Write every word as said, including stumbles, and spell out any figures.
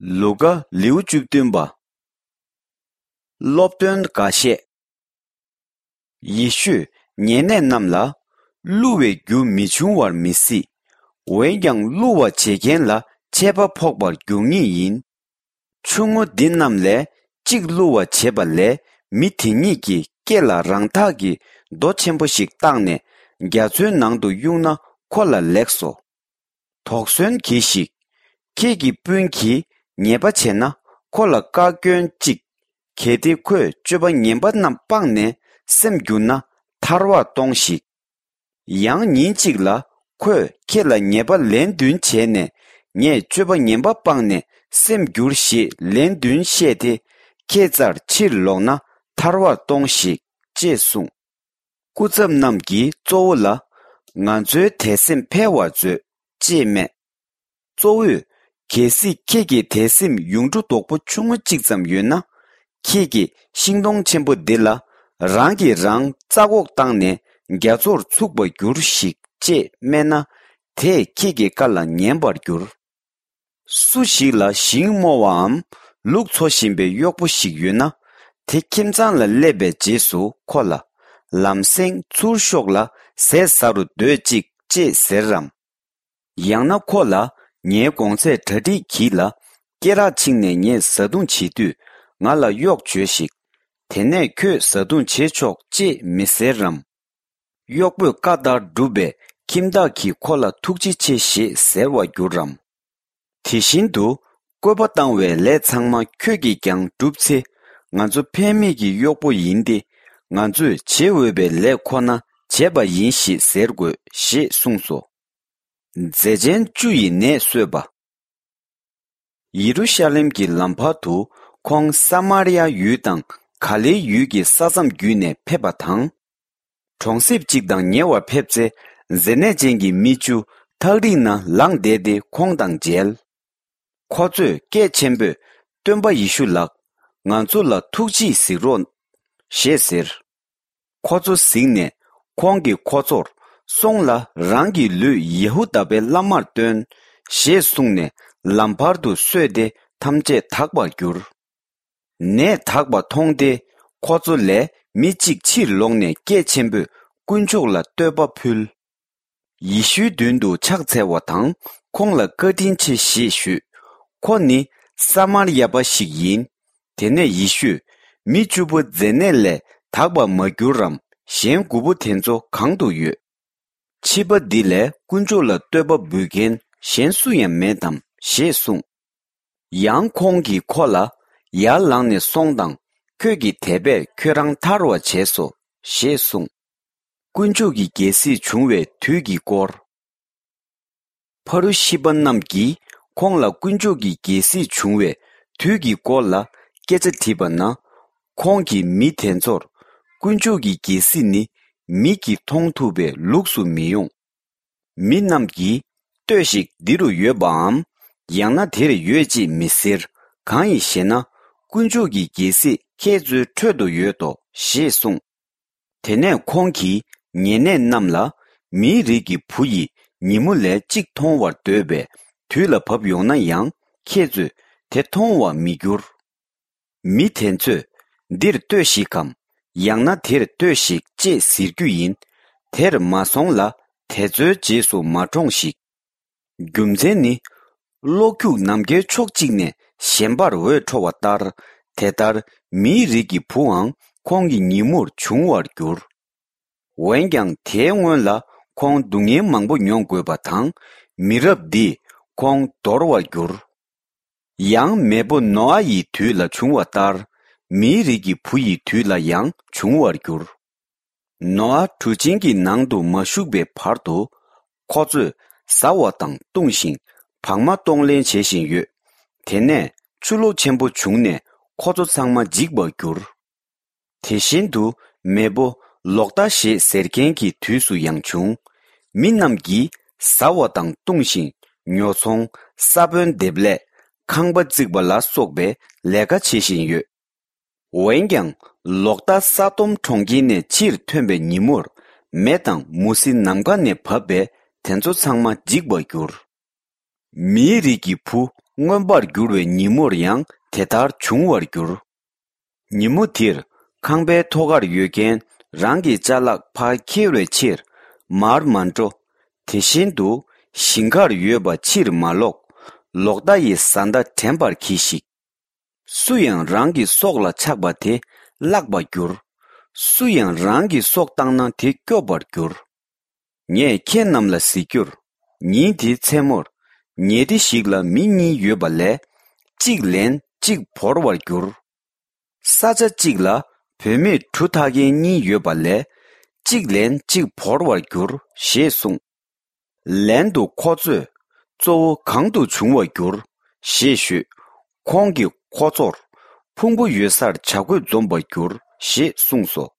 ལུ་ཀ། ལེའུ་བཅུ་བདུན་པ། སློབ་སྟོན་འགའ་ཤས། ཡེ་ཤུས་ཉེ་གནས་རྣམས་ལ། བསླུ་བའི་རྒྱུ་མི་འབྱུང་བར་མི་སྲིད། འོན་ཀྱང་བསླུ་བ་བྱེད་མཁན་ལ་ཆད་པ་ཕོག་པར་འགྱུར་ངེས་ཡིན། ཆུང་ངུ་འདི་རྣམས་ལས་གཅིག་བསླུ་བ་བྱེད་པ་ལས་མི་དེ་ཉིད་ཀྱིས་སྐེ་ལ་རང་འཐག་གི་རྡོ་ཆེན་པོ་ཞིག་བཏགས་ནས་རྒྱ་མཚོའི་ནང་དུ་གཡུགས་ན་ཁོ་ལ་ལེགས་སོ། དོགས་ཟོན་གྱིས་ཤིག། ཁྱེད་ཀྱི་སྤུན་གྱིས་ཉེས་པ་བྱས་ན་ཁོ་ལ་བཀའ་བཀྱོན་ཅིག། གལ་ཏེ་ཁོས་སྤྱོད་པ་ངན་པ་རྣམས་སྤངས་ནས་སེམས་བསྒྱུར་ན་ཐར་བར་གཏོང་ཞིག། ཡང་ཉིན་གཅིག་ལ་ཁོས་ཁྱེད་ལ་ཉེས་པ་ལན་བདུན་བྱས་ནས་ངས་སྤྱོད་པ་ངན་པ་སྤངས་ནས་སེམས་བསྒྱུར་ཞེས་ལན་བདུན་བཤད་དེ་ཁྱེད་རྩར་ཕྱིར་ལོག་ན་ཐར་བར་གཏོང་ཞིག། ཅེས་གསུངས། སྐུ་ཚབ་རྣམས་ཀྱིས་གཙོ་བོ་ལ། ང་ཚོའི་དད་སེམས་འཕེལ་བར་མཛོད། ཅེས་སྨྲས། གཙོ་བོས། གལ་སྲིད་ཁྱེད་ཀྱི་དད་སེམས་ཡུངས་འབྲུ་རྡོག་པོ་ཆུང་ངུ་གཅིག་ཙམ་ཡོད་ན། ཁྱེད་ཀྱིས་ཤིང་སྡོང་ཆེན་པོ་འདི་ལ། རང་གིས་རང་རྩ་འགོག་བཏང་ནས་རྒྱ་མཚོར་ཚུགས་པར་འགྱུར་ཞིག། ཅེས་སྨྲས་ན། དེས་ཁྱེད་ཀྱི་བཀའ་ལ་ཉན་པར་འགྱུར། སུ་ཞིག་ལ་ཞིང་རྨོ་བའམ་ལུག་འཚོ་བཞིན་པའི་གཡོག་པོ་ཞིག་ཡོད་ན། དེ་ཁྱིམ་ཚང་ལ་སླེབས་པའི་རྗེས་སུ་ཁོ་ལ། ལམ་སེང་ཚུར་ཤོག་ལ་ཟས་ཟ་རུ་སྡོད་ཅིག། ཅེས་ཟེར་རམ། ཡང་ན་ཁོ་ལ། ངའི་གོང་ཚད་གྲ་སྒྲིག་གྱིས་ལ། སྐེ་རགས་ཕྱིས་ནས་ངས་བཟའ་བཏུང་བྱེད་དུས་ང་ལ་གཡོག་བྱོས་ཤིག། དེ་ནས་ཁྱོད་བཟའ་བཏུང་བྱེད་ཆོག། ཅེས་མི་ཟེར་རམ། གཡོག་པོས་བཀའ་ལྟར་བསྒྲུབས་པས་ཁྱིམ་བདག་གིས་ཁོ་ལ་ཐུགས་རྗེ་ཆེ་ཞེས་ཟེར་བར་འགྱུར་རམ། དེ་བཞིན་དུ་བཀོད་པ་བཏང་བའི་ལས་ཚང་མ་ཁྱོད་ཀྱིས་ཀྱང་བསྒྲུབས་ཚེ། ང་ཚོ་ཕན་མེད་ཀྱི་གཡོག་པོ་ཡིན་ཏེ། ང་ཚོས་བྱེད་འོས་པའི་ལས་ཁོ་ན་བྱས་པ་ཡིན་ཞེས་ཟེར་དགོས། ཞེས་གསུངས་སོ། མཛེ་ཅན་བཅུ་ཡི་ནད་གསོས་པ། ཡེ་རུ་ཤ་ལེམ་གྱི་ལམ་བར་དུ་ཁོང་ས་མར་ཡ་ཡུལ་དང་ག་ལེའི་ཡུལ་གྱི་ས་མཚམས་བརྒྱུད་ནས་ཕེབས་པ་དང་། གྲོང་གསེབ་ཅིག་དང་ཉེ་བར་ཕེབས་ཚེ། མཛེ་ནད་ཅན་གྱི་མི་བཅུ་ཐག་རིང་ན་ལངས་བསྡད་དེ་ཁོང་དང་མཇལ། ཁོ་ཚོས་སྐད་ཆེན་པོས། སྟོན་པ་ཡེ་ཤུ་ལགས། ང་ཚོ་ལ་ཐུགས་རྗེས་གཟིགས་རོགས། ཞེས་ཟེར། ཁོ་ཚོ་གཟིགས་ནས་ཁོང་གིས་ཁོ་ཚོར། སོང་ལ་རང་གི་ལུས་ཡེ་ཧུ་དཱ་པའི་བླ་མར་སྟོན། ཞེས་གསུངས་ནས་ལམ་བར་དུ་གསོས་ཏེ་ཐམས་ཅད་དག་པར་གྱུར། ནད་དག་པ་མཐོང་སྟེ་ཁོ་ཚོ་ལས་མི་གཅིག་ཕྱིར་ལོག་ནས་སྐད་ཆེན་པོས་དཀོན་མཆོག་ལ་བསྟོད་པ་ཕུལ། ཡེ་ཤུའི་མདུན་དུ་ཕྱག་འཚལ་བ་དང་ཁོང་ལ་བཀའ་དྲིན་ཆེ་ཞེས་ཞུས། ཁོ་ནི་ས་མར་ཡ་པ་ཞིག་ཡིན། དེ་ནས་ཡེ་ཤུས་མི་བཅུ་པོ་མཛེ་ནད་ལས་དག་པར་མ་གྱུར་རམ། གཞན་དགུ་པོ་དེ་ཚོ་གང་དུ་ཡོད། ཕྱི་པ་འདི་ལས་དཀོན་མཆོག་ལ་བསྟོད་པ་འབུལ་མཁན་གཞན་སུ་ཡང་མེད་དམ། ཞེས་གསུངས། ཡང་ཁོང་གིས་ཁོ་ལ། ཡར་ལངས་ནས་སོང་དང་། ཁྱོད་ཀྱི་དད་པས་ཁྱོད་རང་ཐར་བར་བྱས་སོ། ཞེས་གསུངས། དཀོན་མཆོག་གི་རྒྱལ་སྲིད་བྱུང་བའི་དུས་ཀྱི་སྐོར། ཕ་རུ་ཤི་པ་རྣམས་ཀྱིས་ཁོང་ལ་དཀོན་མཆོག་གི་རྒྱལ་སྲིད་བྱུང་བའི་དུས་ཀྱི་སྐོར་ལ་སྐད་ཆ་དྲིས་པ་ན། ཁོང་གིས་མི་དེ་ཚོར། དཀོན་མཆོག་གི་རྒྱལ་སྲིད་ནི་མིག་གིས་མཐོང་ཐུབ་པའི་ལུགས་སུ་མི་ཡོང་། མི་རྣམས་ཀྱིས་ལྟོས་ཤིག། འདི་རུ་ཡོད་པའམ། ཡང་ན་དེར་ཡོད་ཅེས་མི་ཟེར། གང་ཡིན་ཞེ་ན། དཀོན་མཆོག་གི་རྒྱལ་སྲིད་ཁྱེད་ཚོའི་ཁྲོད་དུ་ཡོད་དོ། ཞེས་གསུངས། དེ་ནས་ཁོང་གིས་ཉེ་གནས་རྣམས་ལ། མིའི་རིགས་ཀྱི་བུ་ཡིས་ཉིན་མོ་ལས་གཅིག་མཐོང་བར་འདོད་པའི་དུས་ལ་བབ་ཡོང་ན་ཡང་ཁྱེད་ཚོས་དེ་མཐོང་བར་མི་འགྱུར། མི་དེ་ཚོས་འདིར་ལྟོས་ཤིག་གམ། ཡང་ན་དེར་ལྟོས་ཤིག་ཅེས་ཟེར་རྒྱུ་ཡིན། དེར་མ་སོང་ལ་དེ་ཚོའི་རྗེས་སུ་མ་འབྲོངས་ཤིག། རྒྱུ་མཚན་ནི། གློག་འཁྱུག་ནམ་མཁའི་ཕྱོགས་གཅིག་ནས་གཞན་པར་འོད་འཕྲོ་བ་ལྟར། དེ་ལྟར་མིའི་རིགས་ཀྱི་བུའང་ཁོང་གི་ཉིན་མོར་འབྱུང་བར་འགྱུར། འོན་ཀྱང་དེའི་སྔོན་ལ་ཁོང་སྡུག་བསྔལ་མང་པོ་མྱོང་དགོས་པ་དང་། མི་རབས་འདིས་ཁོང་འདོར་བར་འགྱུར། ཡང་མེས་པོ་ནོ་ཨ་ཡི་དུས་ལ་བྱུང་བ་ལྟར། མིའི་རིགས་ཀྱི་བུ་ཡི་དུས་ལ་ཡང་འབྱུང་བར་འགྱུར། ནོ་ཨ་གྲུ་ཆེན་གྱི་ནང་དུ་མ་ཞུགས་པའི་བར་དུ། ཁོ་ཚོས་ཟ་བ་དང་བཏུང་ཞིང་བག་མ་གཏོང་ལེན་བྱེད་བཞིན་ཡོད། དེ་ནས་ཆུ་ལོག་ཆེན་པོ་བྱུང་ནས་ཁོ་ཚོ་ཚང་མ་འཇིག་པར་གྱུར། དེ་བཞིན་དུ་མེས་པོ་ལོག་ལྟ་ཞེས་ཟེར་མཁན་གྱི་དུས་སུ་ཡང་བྱུང་། མི་རྣམས་ཀྱིས་ཟ་བ་དང་བཏུང་ཞིང་ཉོ་ཚོང་ས་བོན་འདེབས་ལས་ཁང་པ་བརྩིགས་པ་ལ་སོགས་པའི་ལས་ཀ་བྱེད་བཞིན་ཡོད། འོན་ཀྱང་ལོག་ལྟ་ས་དོམ་གྲོང་ཁྱེར་ནས་ཕྱིར་ཐོན་པའི་ཉིན་མོར། མེ་དང་མུ་ཟི་ནམ་མཁའ་ནས་བབས་པས་དེ་ཚོ་ཚང་མ་འཇིག་པར་འགྱུར། མིའི་རིགས་ཀྱི་བུ་ མངོན་པར་འགྱུར་བའི་ཉིན་མོར་ཡང་དེ་ལྟར་འབྱུང་བར་འགྱུར། ཉིན་མོ་དེར་ཁང་པའི་ཐོག་ཁར་ཡོད་མཁན་རང་གི་ཅ་ལག་ཕར་འཁྱེར་བའི་ཕྱིར་མར་མ་འགྲོ། དེ་བཞིན་དུ་ཞིང་ཁར་ཡོད་པ་ཕྱིར་མ་ལོག། ལོག་ལྟ་ཡི་བཟའ་ཟླ་དྲན་པར་གྱིས་ཤིག། སུ་ཡང་རང་གི་སྲོག་ལ་ཆགས་པ་དེ་བརླག་པར་འགྱུར། སུ་ཡང་རང་གི་སྲོག་བཏང་ན་དེ་སྐྱོབ་པར་འགྱུར། ངས་ཁྱེད་རྣམས་ལ་ཟེར་རྒྱུར། ཉིན་དེའི་མཚན་མོར་ཉལ་ཁྲི་ཞིག་ལ་མི་གཉིས་ཡོད་པ་ལས་གཅིག་ལེན་གཅིག་བོར་བར་འགྱུར། ས་ཆ་གཅིག་ལ་བུད་མེད་གྲུ་འཐག་མཁན་གཉིས་ཡོད་པ་ལས་གཅིག་ལེན་གཅིག་བོར་བར་འགྱུར་ཞེས་གསུངས། ལན་དུ་ཁོ་ཚོས་གཙོ་བོ་གང་དུ་བྱུང་བར་འགྱུར་ཞེས་ཞུས། ཁོང་གིས་ཁོ་ཚོར་ཕུང་པོ་ཡོད་སར་བྱ་རྒོད་འཛོམས་པར་འགྱུར་ཞེས་གསུངས་སོ།